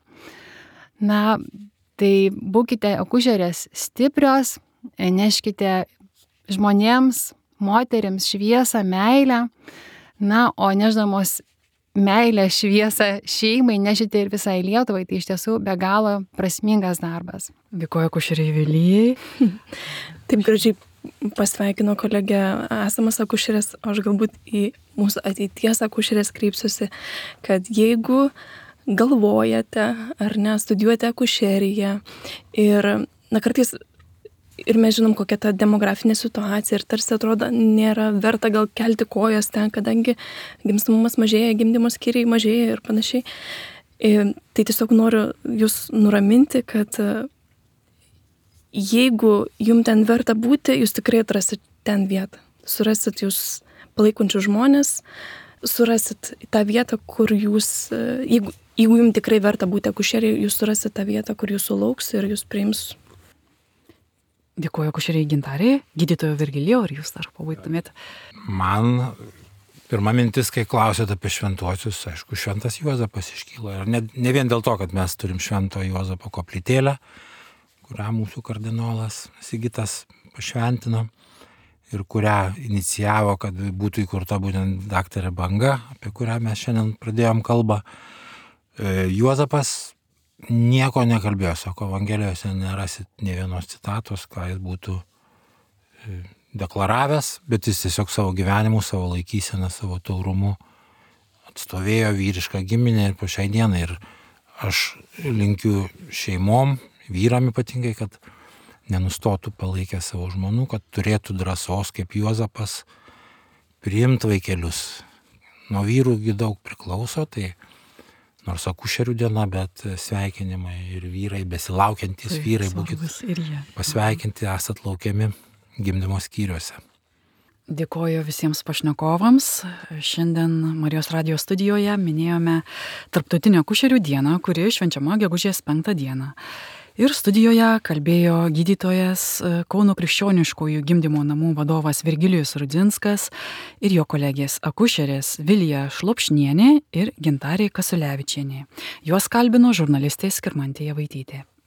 Tai būkite akušerės stiprios, neškite žmonėms, moterims šviesą, meilę, o neždamos meilę, šviesą šeimai nešite ir visai Lietuvai, tai iš tiesų be galo prasmingas darbas. Dėkoju akušeriai Vilijai. Taip gražiai pasveikino kolegė esamas akušerės, aš galbūt į mūsų ateities akušerės kreipsiuosi, kad jeigu galvojate ar ne, studijuojate akušeriją ir kartais ir mes žinom, kokia ta demografinė situacija ir tarsi atrodo nėra verta gal kelti kojas ten, kadangi gimstamumas mažėja, gimdymo skyriai mažėja ir panašiai. Tai tiesiog noriu jūs nuraminti, kad jeigu jums ten verta būti, jūs tikrai atrasit ten vietą. Surasit jūs palaikančius žmonės, surasit tą vietą, kur jūs, jeigu jums tikrai verta būti akušeriai, jūs surasit tą vietą, kur jūs sulauks ir jūs priims. Dėkuoju akušeriai Gintarei, gydytojo Virgilijau, ar jūs dar pabaigtumėte? Man pirma mintis, kai klausėte apie šventuosius, aišku, šventas Juozapas iškyla. Ir ne vien dėl to, kad mes turim švento Juozapo koplytėlę, kurią mūsų kardinolas Sigitas pašventino ir kurią inicijavo, kad būtų įkurta būtent daktarė Banga, apie kurią mes šiandien pradėjom kalbą. Juozapas nieko nekalbėjo, sako, Evangelijose nerasit nė vienos citatos, ką jis būtų deklaravęs, bet jis tiesiog savo gyvenimu, savo laikyseną, savo taurumu atstovėjo vyrišką giminę ir po šiai dienai. Ir aš linkiu šeimom, vyram ypatingai, kad nenustotų palaikę savo žmonų, kad turėtų drąsos kaip Juozapas priimti vaikelius. Nuo vyrųgi daug priklauso, tai nors akušerių diena, bet sveikinimai ir vyrai, besilaukiantys vyrai, būkit pasveikinti, esat laukiami gimdymo skyriuose. Dėkoju visiems pašnekovams. Šiandien Marijos radijo studijoje minėjome Tarptautinę akušerių dieną, kuri švenčiama gegužės 5 dieną. Ir studijoje kalbėjo gydytojas Kauno krikščioniškųjų gimdymo namų vadovas Virgilijus Rudzinskas ir jo kolegės akušerės Vilija Šlopšnienė ir Gintarė Kasulevičienė. Juos kalbino žurnalistė Skirmantė Javaitytė.